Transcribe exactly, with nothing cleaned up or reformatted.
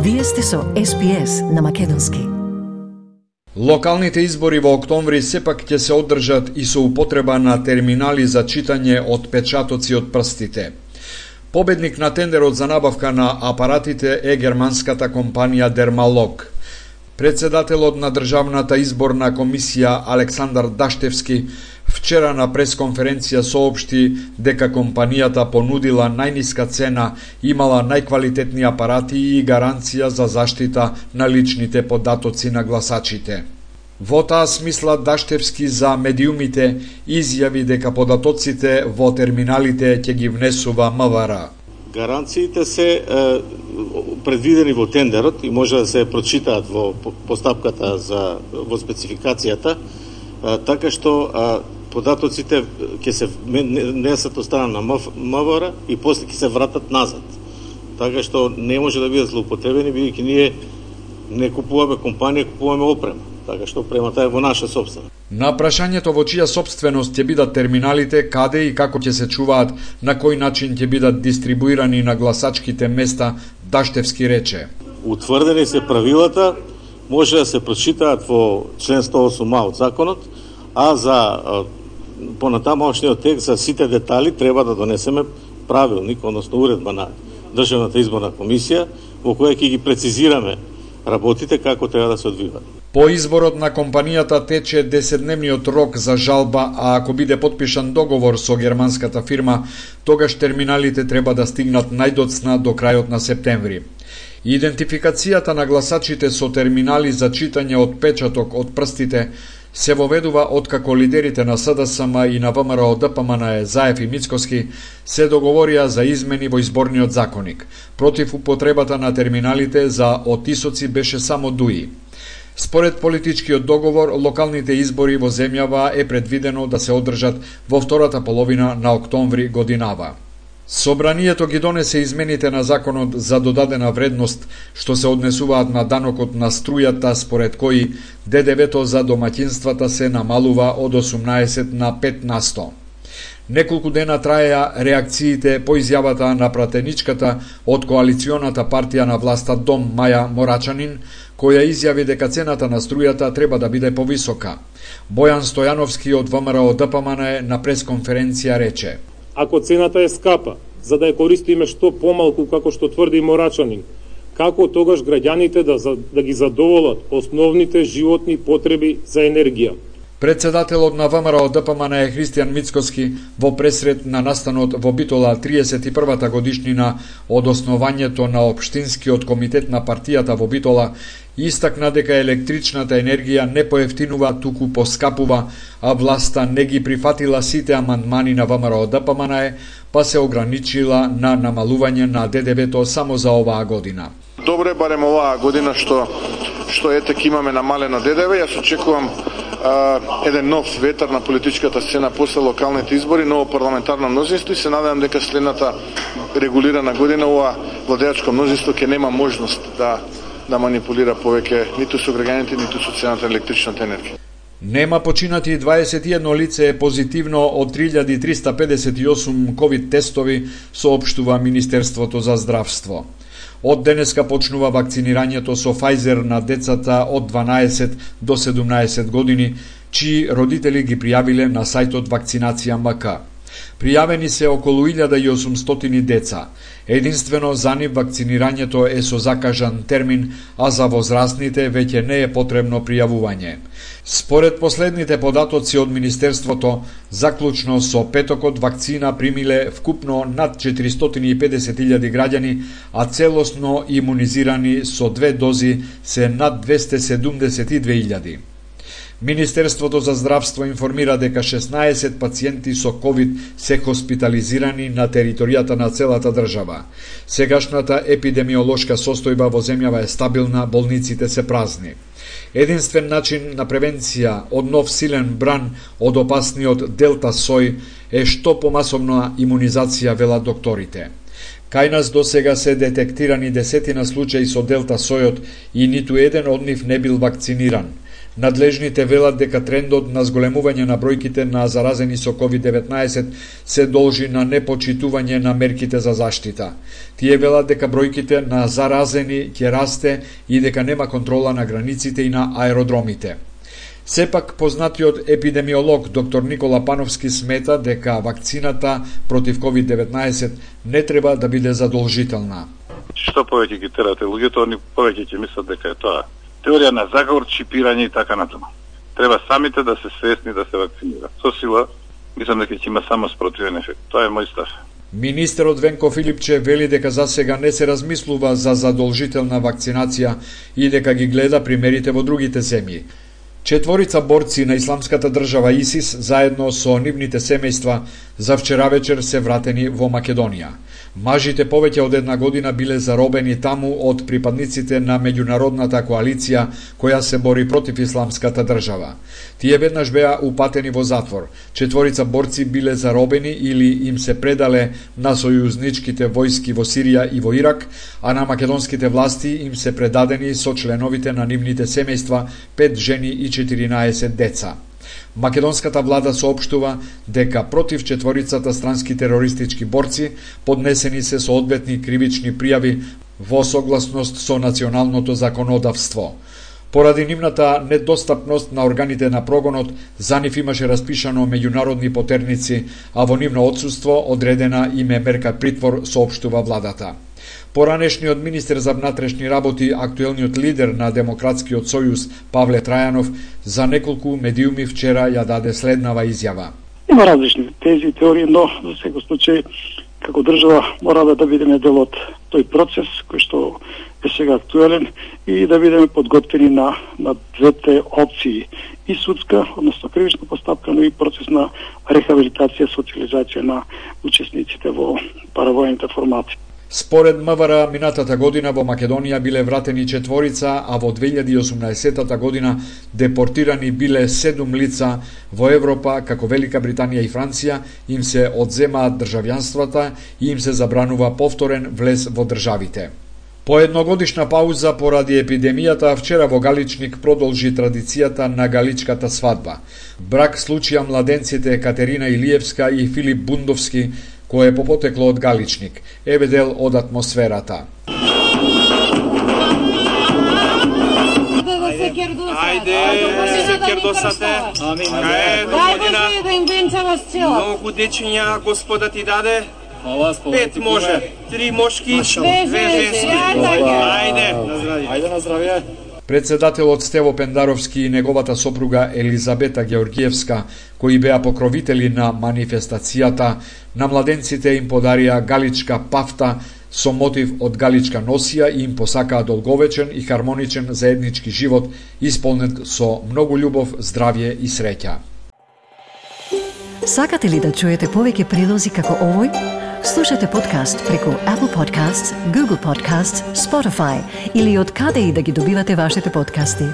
Вие сте со Ес Би Ес на македонски. Локалните избори во октомври сепак ќе се одржат и со употреба на терминали за читање од печатоци од прстите. Победник на тендерот за набавка на апаратите е германската компанија Дермалог. Председателот на Државната изборна комисија Александар Даштевски вчера на пресконференција соопшти дека компанијата понудила најниска цена, имала најквалитетни апарати и гаранција за заштита на личните податоци на гласачите. Во таа смисла Даштевски за медиумите изјави дека податоците во терминалите ќе ги внесува МВР. Гаранциите се е, предвидени во тендерот и може да се прочитаат во постапката за во спецификацијата, е, така што е, податоците ќе се несат од страна на МВР и после ќе се вратат назад. Така што не може да бидат злоупотребени, бидејќи ние не купуваме компанија, купуваме опрема. Така што опремата е во наша собствена. На прашањето во чија собственост ќе бидат терминалите, каде и како ќе се чуваат, на кој начин ќе бидат дистрибуирани на гласачките места, Даштевски рече: утврдени се правилата, може да се прочитаат во член сто осум а од законот, а за понатамошниот текст за сите детали треба да донесеме правилник, односно уредба на Државната изборна комисија, во која ќе ги прецизираме работите како треба да се одвиваат. По изборот на компанијата тече десетдневниот рок за жалба, а ако биде потпишан договор со германската фирма, тогаш терминалите треба да стигнат најдоцна до крајот на септември. Идентификацијата на гласачите со терминали за читање од печаток од прстите се воведува откако лидерите на С Д С М и на ВМРО Д П М Н Заев и Мицкоски се договорија за измени во изборниот законник. Против употребата на терминалите за отисоци беше само Дуи. Според политичкиот договор, локалните избори во земјава е предвидено да се одржат во втората половина на октомври годинава. Собранието ги донесе измените на законот за додадена вредност, што се однесуваат на данокот на струјата, според кои Д Д В-то за домаќинствата се намалува од осумнаесет на пет на сто. Неколку дена траеа реакциите по изјавата на пратеничката од коалиционата партија на власта Дом Маја Морачанин, која изјави дека цената на струјата треба да биде повисока. Бојан Стојановски од В М Р О Д П М Н на пресконференција рече: ако цената е скапа, за да ја користиме што помалку како што тврди Морачанин, како тогаш граѓаните да, да ги задоволат основните животни потреби за енергија? Председателот на В М Р О Д П М Н е Христијан Мицкоски во пресрет на настанот во Битола триесет и првата годишнина од основањето на Општинскиот комитет на партијата во Битола, истакна дека електричната енергија не поевтинува, туку поскапува, а власта не ги прифатила сите амандмани на В М Р О Д П М Н, па се ограничила на намалување на Д Д В-то само за оваа година. Добре, барем оваа година што што етек имаме намалено Д Д В, јас очекувам а, еден нов ветар на политичката сцена после локалните избори, ново парламентарно мнозинство и се надевам дека следната регулирана година ова владеачко мнозинство ќе нема можност да да манипулира повеќе ниту со граѓаните, ниту со цената на електричната енергија. Нема починати дваесет и едно лице е позитивно од три илјади триста педесет и осум ковид тестови, соопштува Министерството за здравство. Од денеска почнува вакцинирањето со Pfizer на децата од дванаесет до седумнаесет години, чии родители ги пријавиле на сајтот Вакцинација М К. Пријавени се околу илјада и осумстотини деца. Единствено за нив вакцинирањето е со закажан термин, а за возрастните веќе не е потребно пријавување. Според последните податоци од Министерството, заклучно со петокот вакцина примиле вкупно над четиристотини и педесет илјади граѓани, а целосно имунизирани со две дози се над двесте седумдесет и две илјади. Министерството за здравство информира дека шеснаесет пациенти со ковид се хоспитализирани на територијата на целата држава. Сегашната епидемиолошка состојба во земјава е стабилна, болниците се празни. Единствен начин на превенција од нов силен бран од опасниот Делта сој е што помасовна имунизација, велат докторите. Кај нас досега се детектирани десетина случаи со Делта сојот и ниту еден од нив не бил вакциниран. Надлежните велат дека трендот на зголемување на бројките на заразени со ковид деветнаесет се должи на непочитување на мерките за заштита. Тие велат дека бројките на заразени ќе расте и дека нема контрола на границите и на аеродромите. Сепак, познатиот епидемиолог доктор Никола Пановски смета дека вакцината против ковид деветнаесет не треба да биде задолжителна. Што повеќе ги терате луѓето, они повеќе ќе мислат дека е тоа теорија на заговор, чипирање и така натаму. Треба самите да се свесни да се вакцинираат. Со сила, мислам дека ќе има само спротивен ефект. Тоа е мој став. Министерот Венко Филипче вели дека за сега не се размислува за задолжителна вакцинација и дека ги гледа примерите во другите земји. Четворица борци на Исламската држава ИСИС заедно со нивните семејства за вчера вечер се вратени во Македонија. Мажите повеќе од една година биле заробени таму од припадниците на меѓународната коалиција која се бори против Исламската држава. Тие веднаш беа упатени во затвор. Четворица борци биле заробени или им се предале на сојузничките војски во Сирија и во Ирак, а на македонските власти им се предадени со членовите на нивните семејства, пет жени и четиринаесет деца. Македонската влада соопштува дека против четворицата странски терористички борци поднесени се соодветни кривични пријави во согласност со националното законодавство. Поради нивната недостапност на органите на прогонот, за нив имаше распишано меѓународни потерници, а во нивно отсуство одредена им е мерка притвор, соопштува владата. Поранешниот министер за внатрешни работи, актуелниот лидер на Демократскиот сојуз Павле Трајанов, за неколку медиуми вчера ја даде следнава изјава. Има различни тези и теории, но за секој случај како држава мора да бидеме дел од тој процес кој што е сега актуелен и да бидеме подготвени на на двете опции, и судска, односно кривична постапка, но и процес на рехабилитација, социализација на учесниците во паравојните формати. Според МВР, минатата година во Македонија биле вратени четворица, а во две илјади и осумнаесетта година депортирани биле седум лица. Во Европа, како Велика Британија и Франција, им се одземаат државјанствата и им се забранува повторен влез во државите. По едногодишна пауза поради епидемијата, вчера во Галичник продолжи традицијата на галичката свадба. Брак случија младенците Катерина Илиевска и Филип Бундовски, кој е попотекло од Галичник. Еве дел од атмосферата. Ајде, се кердосате. Амин. Дај Боже да им венчава с чела. Многу дечиња Господа ти даде. Пет може, три мошки, две женски. Ајде. Ајде на здравје. Председателот Стево Пендаровски и неговата сопруга Елизабета Георгиевска, кои беа покровители на манифестацијата, на младенците им подарија галичка пафта со мотив од галичка носија и им посакаа долговечен и хармоничен заеднички живот, исполнет со многу љубов, здравје и среќа. Сакате ли да чуете повеќе прилози како овој? Слушате подкаст преку Apple Podcasts, Google Podcasts, Spotify или од каде и да ги добивате вашите подкасти.